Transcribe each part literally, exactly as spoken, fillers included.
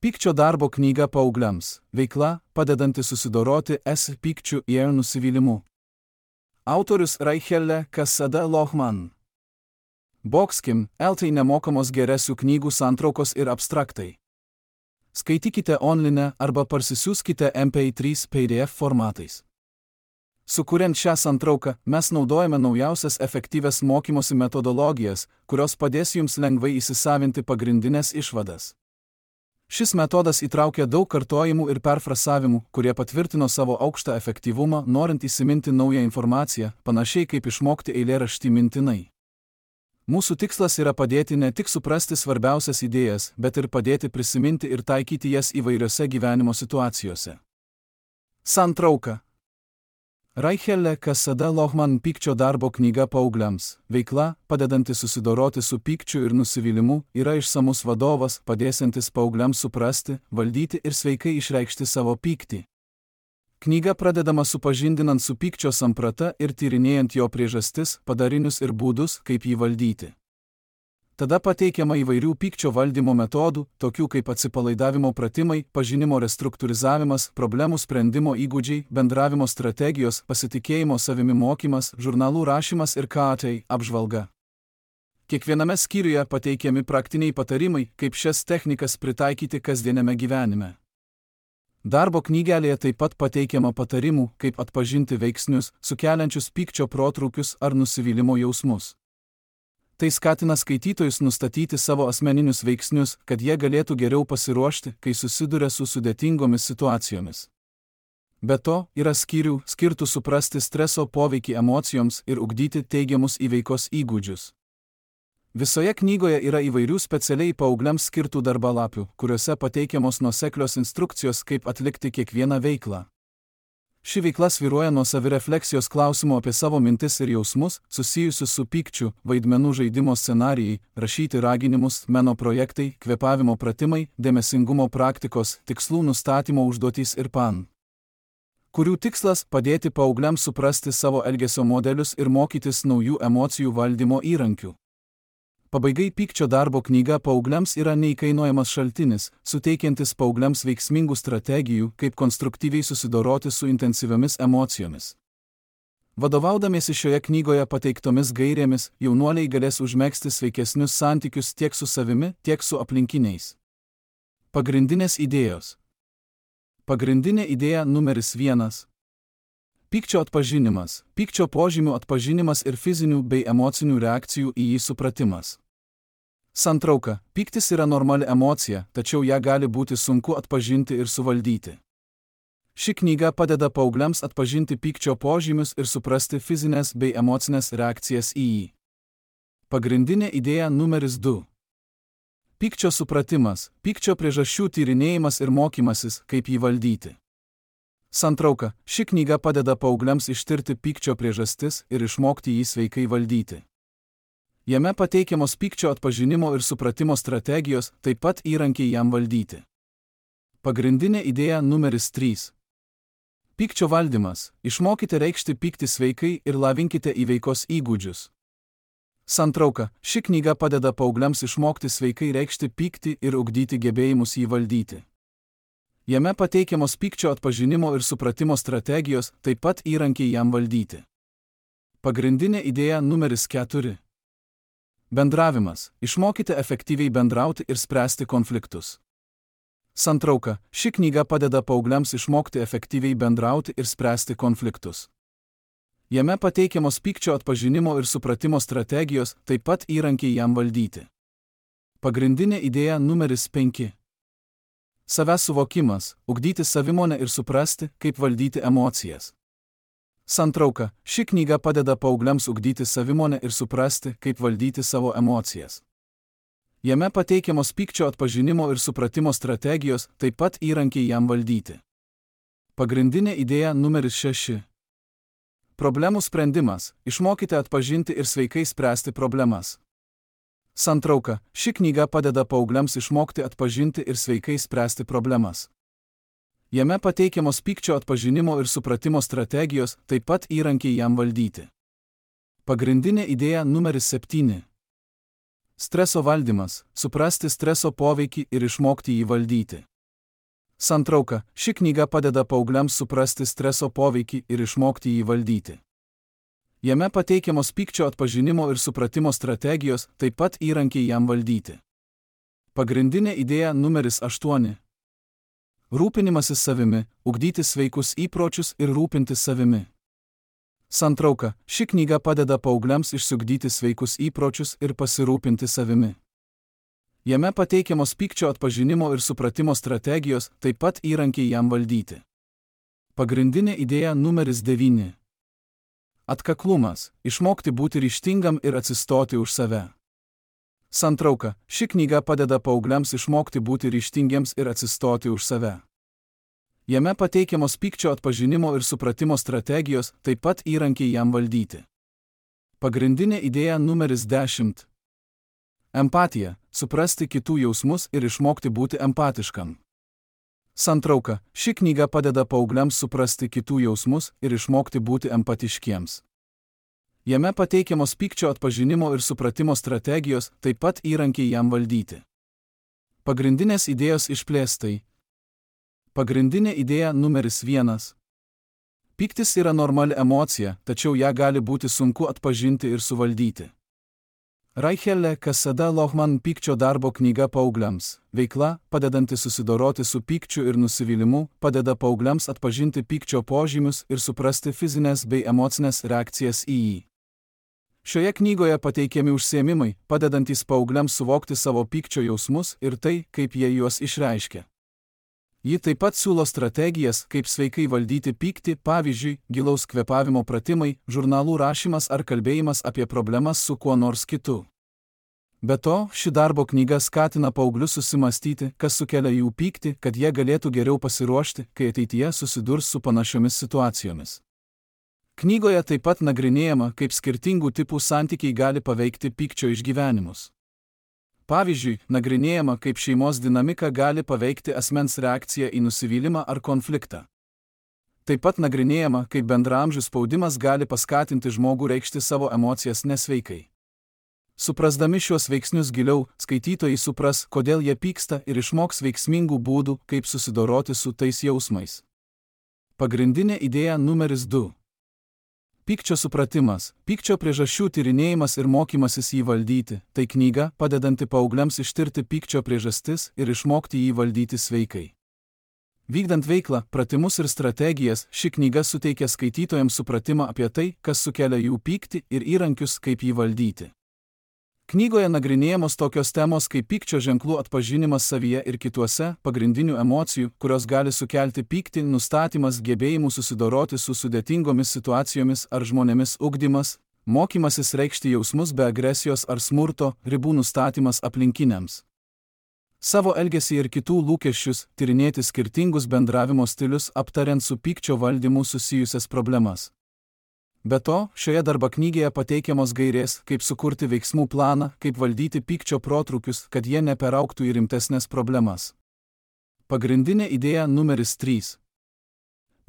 Pykčio darbo knyga paaugliams. Veikla, padedanti susidoroti S pykčiu ir nusivylimu. Autorius Raichelle Kasada Lohman. Boxkim, L tai nemokamos geresių knygų santraukos ir abstraktai. Skaitykite online arba parsisiųskite M P trys P D F formatais. Sukuriant šią santrauką, mes naudojame naujausias efektyvias mokymosi metodologijas, kurios padės jums lengvai įsisavinti pagrindinės išvadas. Šis metodas įtraukia daug kartojimų ir perfrasavimų, kurie patvirtino savo aukštą efektyvumą, norint įsiminti naują informaciją, panašiai kaip išmokti eilėraštį mintinai. Mūsų tikslas yra padėti ne tik suprasti svarbiausias idėjas, bet ir padėti prisiminti ir taikyti jas įvairiose gyvenimo situacijose. Santrauka. Raichelle Kasada Lohman Pykčio darbo knyga paaugliams. Veikla, padedanti susidoroti su pykčiu ir nusivylimu, yra išsamus vadovas, padėsiantis paaugliams suprasti, valdyti ir sveikai išreikšti savo pyktį. Knyga pradedama supažindinant su pykčio samprata ir tyrinėjant jo priežastis, padarinius ir būdus, kaip jį valdyti. Tada pateikiama įvairių pykčio valdymo metodų, tokių kaip atsipalaidavimo pratimai, pažinimo restruktūrizavimas, problemų sprendimo įgūdžiai, bendravimo strategijos, pasitikėjimo savimi mokymas, žurnalų rašymas ir K A T apžvalga. Kiekviename skyriuje pateikiami praktiniai patarimai, kaip šias technikas pritaikyti kasdieniame gyvenime. Darbo knygelėje taip pat pateikiama patarimų, kaip atpažinti veiksnius, sukeliančius pykčio protrūkius ar nusivylimo jausmus. Tai skatina skaitytojus nustatyti savo asmeninius veiksnius, kad jie galėtų geriau pasiruošti, kai susiduria su sudėtingomis situacijomis. Be to, yra skyrių, skirtų suprasti streso poveikį emocijoms ir ugdyti teigiamus įveikos įgūdžius. Visoje knygoje yra įvairių specialiai paaugliams skirtų darbalapių, kuriuose pateikiamos nuoseklios instrukcijos, kaip atlikti kiekvieną veiklą. Ši veikla svyruoja nuo savirefleksijos klausimo apie savo mintis ir jausmus, susijusius su pykčiu, vaidmenų žaidimo scenarijai, rašyti raginimus, meno projektai, kvėpavimo pratimai, dėmesingumo praktikos, tikslų nustatymo užduotys ir pan, kurių tikslas padėti paaugliams suprasti savo elgesio modelius ir mokytis naujų emocijų valdymo įrankių. Pabaigai pykčio darbo knyga paaugliams yra neįkainojamas šaltinis, suteikiantis paaugliams veiksmingų strategijų, kaip konstruktyviai susidoroti su intensyviomis emocijomis. Vadovaudamiesi šioje knygoje pateiktomis gairėmis, jaunuoliai galės užmegzti sveikesnius santykius tiek su savimi, tiek su aplinkiniais. Pagrindinės idėjos. Pagrindinė idėja numeris vienas. Pykčio atpažinimas, pykčio požymių atpažinimas ir fizinių bei emocinių reakcijų į jį supratimas. Santrauka. Pyktis yra normali emocija, tačiau ją gali būti sunku atpažinti ir suvaldyti. Ši knyga padeda paaugliams atpažinti pykčio požymius ir suprasti fizinės bei emocinės reakcijas į jį. Pagrindinė idėja numeris du. Pykčio supratimas, pykčio priežasčių tyrinėjimas ir mokymasis, kaip jį valdyti. Santrauka. Ši knyga padeda paaugliams ištirti pykčio priežastis ir išmokti jį sveikai valdyti. Jame pateikiamos pykčio atpažinimo ir supratimo strategijos, taip pat įrankiai jam valdyti. Pagrindinė idėja numeris trys. Pykčio valdymas. Išmokite reikšti pyktį sveikai ir lavinkite įveikos įgūdžius. Santrauka. Ši knyga padeda paaugliams išmokti sveikai reikšti pyktį ir ugdyti gebėjimus jį valdyti. Jame pateikiamos pykčio atpažinimo ir supratimo strategijos, taip pat įrankiai jam valdyti. Pagrindinė idėja numeris keturi. Bendravimas. Išmokite efektyviai bendrauti ir spręsti konfliktus. Santrauka. Ši knyga padeda paaugliams išmokti efektyviai bendrauti ir spręsti konfliktus. Jame pateikiamos pykčio atpažinimo ir supratimo strategijos, taip pat įrankiai jam valdyti. Pagrindinė idėja numeris penki. Savęs suvokimas, ugdyti savimonę ir suprasti, kaip valdyti emocijas. Santrauka. Ši knyga padeda paaugliams ugdyti savimonę ir suprasti, kaip valdyti savo emocijas. Jame pateikiamos pykčio atpažinimo ir supratimo strategijos, taip pat įrankiai jam valdyti. Pagrindinė idėja numeris šeši. Problemų sprendimas. Išmokite atpažinti ir sveikai spręsti problemas. Santrauka. Ši knyga padeda paaugliams išmokti atpažinti ir sveikai spręsti problemas. Jame pateikiamos pykčio atpažinimo ir supratimo strategijos, taip pat įrankiai jam valdyti. Pagrindinė idėja numeris septyni. Streso valdymas. Suprasti streso poveikį ir išmokti jį valdyti. Santrauka. Ši knyga padeda paaugliams suprasti streso poveikį ir išmokti jį valdyti. Jame pateikiamos pykčio atpažinimo ir supratimo strategijos, taip pat įrankiai jam valdyti. Pagrindinė idėja numeris aštuoni. Rūpinimasis savimi, ugdyti sveikus įpročius ir rūpintis savimi. Santrauka. Ši knyga padeda paaugliams išsiugdyti sveikus įpročius ir pasirūpinti savimi. Jame pateikiamos pykčio atpažinimo ir supratimo strategijos, taip pat įrankiai jam valdyti. Pagrindinė idėja numeris devyni. Atkaklumas. Išmokti būti ryžtingam ir atsistoti už save. Santrauka. Ši knyga padeda paaugliams išmokti būti ryžtingiems ir atsistoti už save. Jame pateikiamos pykčio atpažinimo ir supratimo strategijos, taip pat įrankiai jam valdyti. Pagrindinė idėja numeris dešimt. Empatija. Suprasti kitų jausmus ir išmokti būti empatiškam. Santrauka. Ši knyga padeda paaugliams suprasti kitų jausmus ir išmokti būti empatiškiems. Jame pateikiamos pykčio atpažinimo ir supratimo strategijos, taip pat įrankiai jam valdyti. Pagrindinės idėjos išplėstai. Pagrindinė idėja numeris vienas. Pyktis yra normali emocija, tačiau ją gali būti sunku atpažinti ir suvaldyti. Raichelle Cassada Lohman pykčio darbo knyga paaugliams. Veikla, padedanti susidoroti su pykčiu ir nusivylimu, padeda paaugliams atpažinti pykčio požymius ir suprasti fizinės bei emocinės reakcijas į jį. Šioje knygoje pateikiami užsiėmimai, padedantys paaugliams suvokti savo pykčio jausmus ir tai, kaip jie juos išreiškia. Ji taip pat siūlo strategijas, kaip sveikai valdyti pyktį, pavyzdžiui, gilaus kvėpavimo pratimai, žurnalų rašymas ar kalbėjimas apie problemas su kuo nors kitu. Be to, ši darbo knyga skatina paauglius susimastyti, kas sukelia jų pyktį, kad jie galėtų geriau pasiruošti, kai ateityje susidurs su panašiomis situacijomis. Knygoje taip pat nagrinėjama, kaip skirtingų tipų santykiai gali paveikti pykčio išgyvenimus. Pavyzdžiui, nagrinėjama, kaip šeimos dinamika gali paveikti asmens reakciją į nusivylimą ar konfliktą. Taip pat nagrinėjama, kaip bendraamžių spaudimas gali paskatinti žmogų reikšti savo emocijas nesveikai. Suprasdami šiuos veiksnius giliau, skaitytojai supras, kodėl jie pyksta ir išmoks veiksmingų būdų, kaip susidoroti su tais jausmais. Pagrindinė idėja numeris du. Pykčio supratimas, pykčio priežasčių tyrinėjimas ir mokymasis jį valdyti – tai knyga, padedanti paaugliams ištirti pykčio priežastis ir išmokti jį valdyti sveikai. Vykdant veiklą, pratimus ir strategijas, ši knyga suteikia skaitytojams supratimą apie tai, kas sukelia jų pyktį ir įrankius, kaip jį valdyti. Knygoje nagrinėjamos tokios temos kaip pykčio ženklų atpažinimas savyje ir kituose, pagrindinių emocijų, kurios gali sukelti pyktį, nustatymas, gebėjimų susidoroti su sudėtingomis situacijomis ar žmonėmis ugdymas, mokymasis reikšti jausmus be agresijos ar smurto, ribų nustatymas aplinkiniams. Savo elgesį ir kitų lūkesčius, tyrinėti skirtingus bendravimo stilius, aptariant su pykčio valdymu susijusias problemas. Be to, šioje darbo knygoje pateikiamos gairės, kaip sukurti veiksmų planą, kaip valdyti pykčio protrūkius, kad jie neperaugtų į rimtesnės problemas. Pagrindinė idėja numeris trys.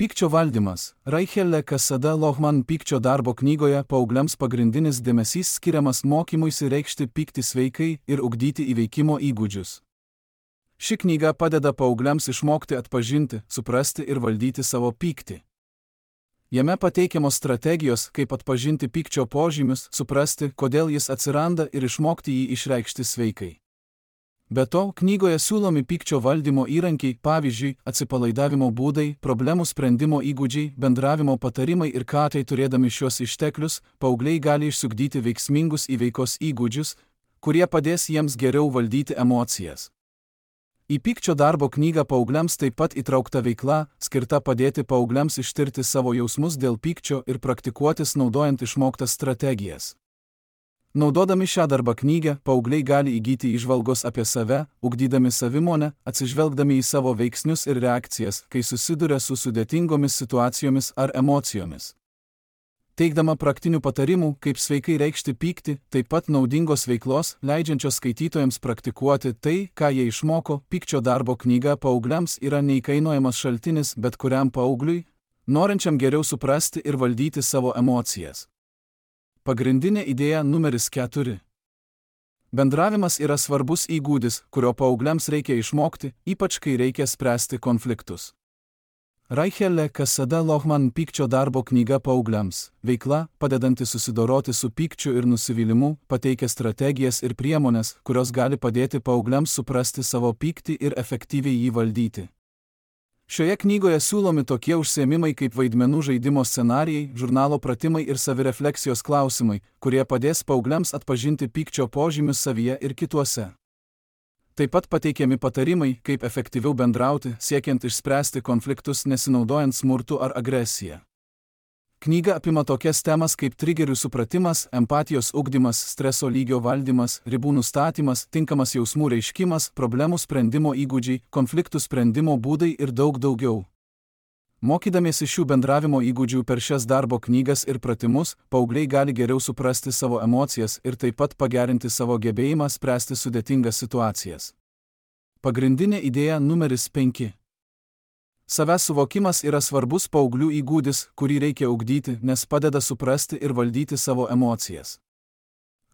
Pykčio valdymas. Raichelle Cassada Lohman pykčio darbo knygoje paaugliams pagrindinis dėmesys skiriamas mokymuisi reikšti pyktį sveikai ir ugdyti įveikimo įgūdžius. Ši knyga padeda paaugliams išmokti atpažinti, suprasti ir valdyti savo pyktį. Jame pateikiamos strategijos, kaip atpažinti pykčio požymius, suprasti, kodėl jis atsiranda ir išmokti jį išreikšti sveikai. Be to, knygoje siūlomi pykčio valdymo įrankiai, pavyzdžiui, atsipalaidavimo būdai, problemų sprendimo įgūdžiai, bendravimo patarimai ir ką tai turėdami šios išteklius, paaugliai gali išsiugdyti veiksmingus įveikos įgūdžius, kurie padės jiems geriau valdyti emocijas. Į pykčio darbo knygą paaugliams taip pat įtraukta veikla, skirta padėti paaugliams ištirti savo jausmus dėl pykčio ir praktikuotis naudojant išmoktas strategijas. Naudodami šią darbo knygą, paaugliai gali įgyti įžvalgos apie save, ugdydami savimonę, atsižvelgdami į savo veiksnius ir reakcijas, kai susiduria su sudėtingomis situacijomis ar emocijomis. Teikdama praktinių patarimų, kaip sveikai reikšti pyktį, taip pat naudingos veiklos, leidžiančios skaitytojams praktikuoti tai, ką jie išmoko, pykčio darbo knyga paaugliams yra neįkainojamas šaltinis bet kuriam paaugliui, norinčiam geriau suprasti ir valdyti savo emocijas. Pagrindinė idėja numeris keturi. Bendravimas yra svarbus įgūdis, kurio paaugliams reikia išmokti, ypač kai reikia spręsti konfliktus. Raichelle Cassada Lohman pykčio darbo knyga paaugliams. Veikla, padedanti susidoroti su pykčiu ir nusivylimu, pateikia strategijas ir priemonės, kurios gali padėti paaugliams suprasti savo pyktį ir efektyviai jį valdyti. Šioje knygoje siūlomi tokie užsiėmimai kaip vaidmenų žaidimo scenarijai, žurnalo pratimai ir savirefleksijos klausimai, kurie padės paaugliams atpažinti pykčio požymius savyje ir kituose. Taip pat pateikiami patarimai, kaip efektyviau bendrauti, siekiant išspręsti konfliktus nesinaudojant smurtu ar agresiją. Knyga apima tokias temas kaip trigerių supratimas, empatijos ugdymas, streso lygio valdymas, ribų nustatymas, tinkamas jausmų reiškimas, problemų sprendimo įgūdžiai, konfliktų sprendimo būdai ir daug daugiau. Mokydamiesi šių bendravimo įgūdžių per šias darbo knygas ir pratimus, paaugliai gali geriau suprasti savo emocijas ir taip pat pagerinti savo gebėjimą spręsti sudėtingas situacijas. Pagrindinė idėja numeris penki. Savęs suvokimas yra svarbus paauglių įgūdis, kurį reikia ugdyti, nes padeda suprasti ir valdyti savo emocijas.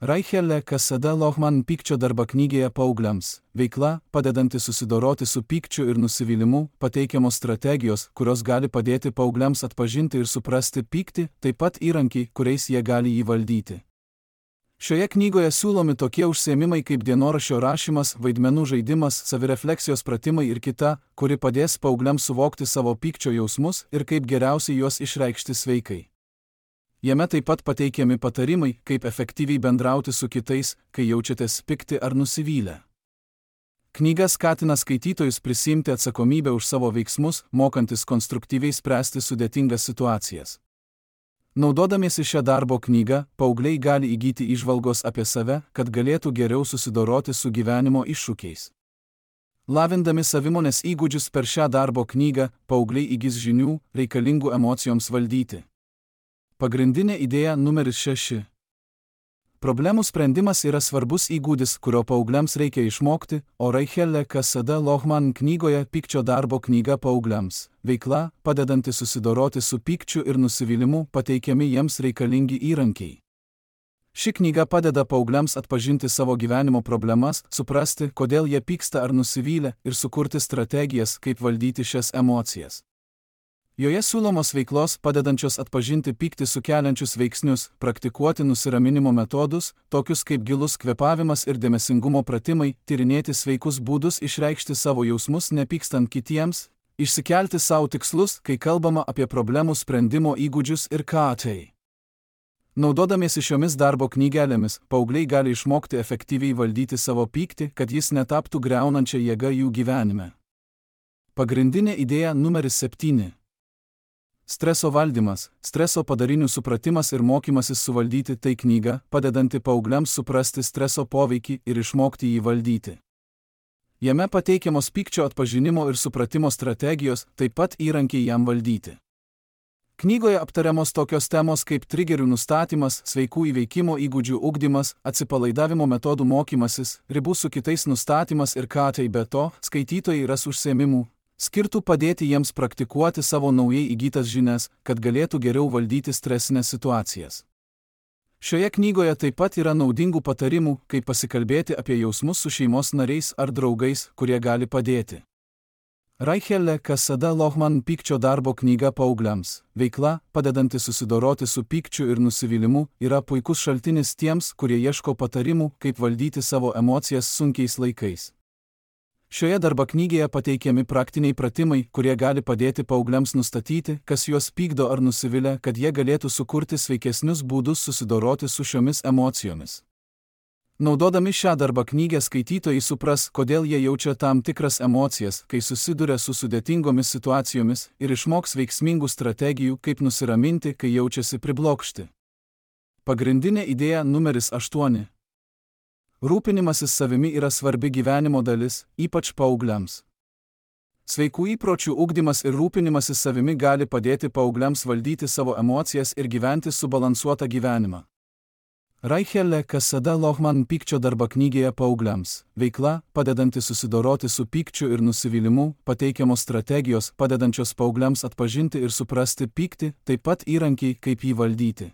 Raichelle Cassada Lohman pykčio darba knygėje paaugliams. Veikla, padedanti susidoroti su pykčiu ir nusivylimu, pateikiamos strategijos, kurios gali padėti paaugliams atpažinti ir suprasti pyktį, taip pat įrankiai, kuriais jie gali jį valdyti. Šioje knygoje siūlomi tokie užsiėmimai kaip dienoraščio rašymas, vaidmenų žaidimas, savirefleksijos pratimai ir kita, kuri padės paaugliams suvokti savo pykčio jausmus ir kaip geriausiai juos išreikšti sveikai. Jame taip pat pateikiami patarimai, kaip efektyviai bendrauti su kitais, kai jaučiatės pikti ar nusivylę. Knyga skatina skaitytojus prisiimti atsakomybę už savo veiksmus, mokantis konstruktyviai spręsti sudėtingas situacijas. Naudodamiesi šią darbo knygą, paaugliai gali įgyti įžvalgos apie save, kad galėtų geriau susidoroti su gyvenimo iššūkiais. Lavindami savimonės įgūdžius per šią darbo knygą, paaugliai įgis žinių, reikalingų emocijoms valdyti. Pagrindinė idėja numeris šeši. Problemų sprendimas yra svarbus įgūdis, kurio paaugliams reikia išmokti, o Raichelle Cassada Lohman knygoje pykčio darbo knyga paaugliams. Veikla, padedanti susidoroti su pykčiu ir nusivylimu, pateikiami jiems reikalingi įrankiai. Ši knyga padeda paaugliams atpažinti savo gyvenimo problemas, suprasti, kodėl jie pyksta ar nusivylę, ir sukurti strategijas, kaip valdyti šias emocijas. Joje siūlomos veiklos, padedančios atpažinti pyktį sukeliančius veiksnius, praktikuoti nusiraminimo metodus, tokius kaip gilus kvėpavimas ir dėmesingumo pratimai, tyrinėti sveikus būdus išreikšti savo jausmus nepykstant kitiems, išsikelti savo tikslus, kai kalbama apie problemų sprendimo įgūdžius ir ką tai. Naudodamiesi šiomis darbo knygelėmis, paaugliai gali išmokti efektyviai valdyti savo pyktį, kad jis netaptų griaunančia jėga jų gyvenime. Pagrindinė idėja numeris septyni. Streso valdymas, streso padarinių supratimas ir mokymasis suvaldyti tai knyga, padedanti paaugliams suprasti streso poveikį ir išmokti jį valdyti. Jame pateikiamos pykčio atpažinimo ir supratimo strategijos, taip pat įrankiai jam valdyti. Knygoje aptariamos tokios temos kaip trigerių nustatymas, sveikų įveikimo įgūdžių ugdymas, atsipalaidavimo metodų mokymasis, ribų su kitais nustatymas ir ką tai be to, skaitytojai ras užsiėmimų, skirtų padėti jiems praktikuoti savo naujai įgytas žinias, kad galėtų geriau valdyti stresinės situacijas. Šioje knygoje taip pat yra naudingų patarimų, kaip pasikalbėti apie jausmus su šeimos nariais ar draugais, kurie gali padėti. Raichelle Cassada Lohman pykčio darbo knyga paaugliams. Veikla, padedanti susidoroti su pykčiu ir nusivylimu, yra puikus šaltinis tiems, kurie ieško patarimų, kaip valdyti savo emocijas sunkiais laikais. Šioje darbo knygėje pateikiami praktiniai pratimai, kurie gali padėti paaugliams nustatyti, kas juos pykdo ar nusivilia, kad jie galėtų sukurti sveikesnius būdus susidoroti su šiomis emocijomis. Naudodami šią darbo knygę skaitytojai supras, kodėl jie jaučia tam tikras emocijas, kai susiduria su sudėtingomis situacijomis, ir išmoks veiksmingų strategijų, kaip nusiraminti, kai jaučiasi priblokšti. Pagrindinė idėja numeris aštuoni. Rūpinimasis savimi yra svarbi gyvenimo dalis, ypač paaugliams. Sveikų įpročių ugdymas ir rūpinimasis savimi gali padėti paaugliams valdyti savo emocijas ir gyventi subalansuotą gyvenimą. Raichelle Cassada Lohman pykčio darbo knygėje paaugliams. Veikla, padedanti susidoroti su pykčiu ir nusivylimu, pateikiamos strategijos, padedančios paaugliams atpažinti ir suprasti pyktį, taip pat įrankiai, kaip jį valdyti.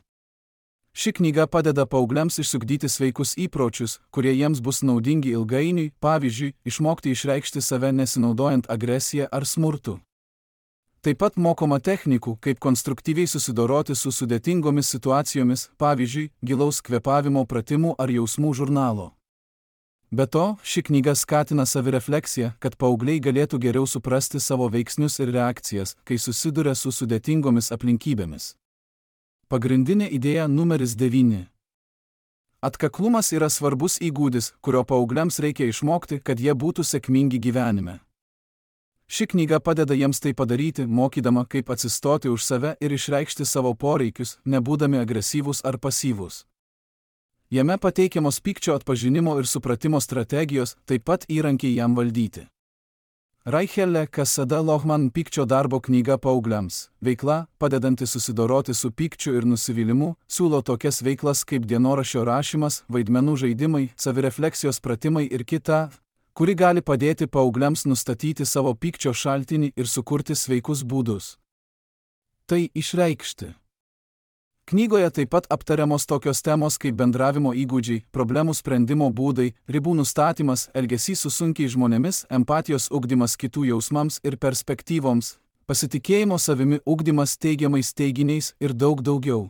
Ši knyga padeda paaugliams išsiugdyti sveikus įpročius, kurie jiems bus naudingi ilgainiui, pavyzdžiui, išmokti išreikšti save nesinaudojant agresiją ar smurtu. Taip pat mokoma technikų, kaip konstruktyviai susidoroti su sudėtingomis situacijomis, pavyzdžiui, gilaus kvėpavimo pratimų ar jausmų žurnalo. Be to, ši knyga skatina savirefleksiją, kad paaugliai galėtų geriau suprasti savo veiksnius ir reakcijas, kai susiduria su sudėtingomis aplinkybėmis. Pagrindinė idėja numeris devyni. Atkaklumas yra svarbus įgūdis, kurio paaugliams reikia išmokti, kad jie būtų sėkmingi gyvenime. Ši knyga padeda jiems tai padaryti, mokydama, kaip atsistoti už save ir išreikšti savo poreikius, nebūdami agresyvūs ar pasyvūs. Jame pateikiamos pykčio atpažinimo ir supratimo strategijos, taip pat įrankiai jam valdyti. Raichelle Cassada Lohman pykčio darbo knyga paaugliams. Veikla, padedanti susidoroti su pykčiu ir nusivylimu, siūlo tokias veiklas kaip dienoraščio rašymas, vaidmenų žaidimai, savirefleksijos pratimai ir kita, kuri gali padėti paaugliams nustatyti savo pykčio šaltinį ir sukurti sveikus būdus tai išreikšti. Knygoje taip pat aptariamos tokios temos kaip bendravimo įgūdžiai, problemų sprendimo būdai, ribų nustatymas, elgesys su sunkiai žmonėmis, empatijos ugdymas kitų jausmams ir perspektyvoms, pasitikėjimo savimi ugdymas teigiamais teiginiais ir daug daugiau.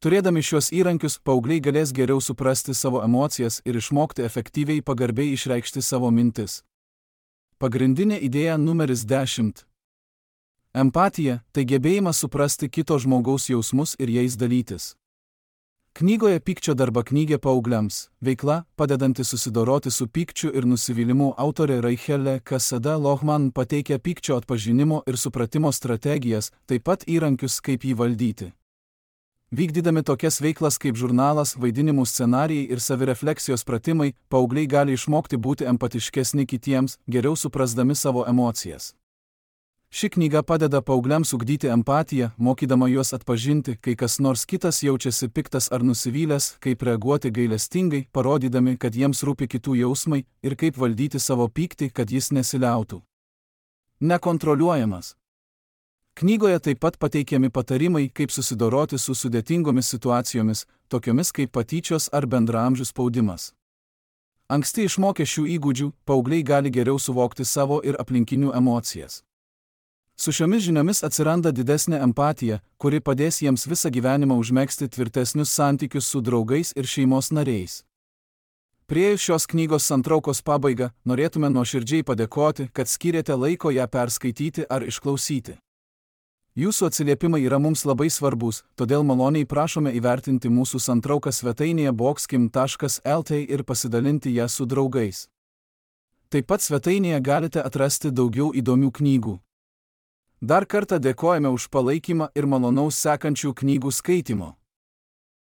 Turėdami šios įrankius, paaugliai galės geriau suprasti savo emocijas ir išmokti efektyviai pagarbiai išreikšti savo mintis. Pagrindinė idėja numeris dešimt. Empatija – tai gebėjimas suprasti kito žmogaus jausmus ir jais dalytis. Knygoje Pykčio darba knygė paaugliams. Veikla, padedanti susidoroti su pykčiu ir nusivylimu, autorė Raichelle Cassada Lohman pateikia pykčio atpažinimo ir supratimo strategijas, taip pat įrankius, kaip jį valdyti. Vykdydami tokias veiklas kaip žurnalas, vaidinimų scenarijai ir savirefleksijos pratimai, paaugliai gali išmokti būti empatiškesni kitiems, geriau suprasdami savo emocijas. Ši knyga padeda paaugliams ugdyti empatiją, mokydama juos atpažinti, kai kas nors kitas jaučiasi piktas ar nusivylęs, kaip reaguoti gailestingai, parodydami, kad jiems rūpi kitų jausmai ir kaip valdyti savo pyktį, kad jis nesiliautų. Nekontroliuojamas. Knygoje taip pat pateikiami patarimai, kaip susidoroti su sudėtingomis situacijomis, tokiomis kaip patyčios ar bendraamžių spaudimas. Anksti išmokę šių įgūdžių, paaugliai gali geriau suvokti savo ir aplinkinių emocijas. Su šiomis žiniomis atsiranda didesnė empatija, kuri padės jiems visą gyvenimą užmegzti tvirtesnius santykius su draugais ir šeimos nariais. Priėjus šios knygos santraukos pabaigą, norėtume nuoširdžiai padėkoti, kad skyrėte laiko ją perskaityti ar išklausyti. Jūsų atsiliepimai yra mums labai svarbus, todėl maloniai prašome įvertinti mūsų santrauką svetainėje boxkim taškas lt ir pasidalinti ją su draugais. Taip pat svetainėje galite atrasti daugiau įdomių knygų. Dar kartą dėkojame už palaikymą ir malonaus sekančių knygų skaitimo.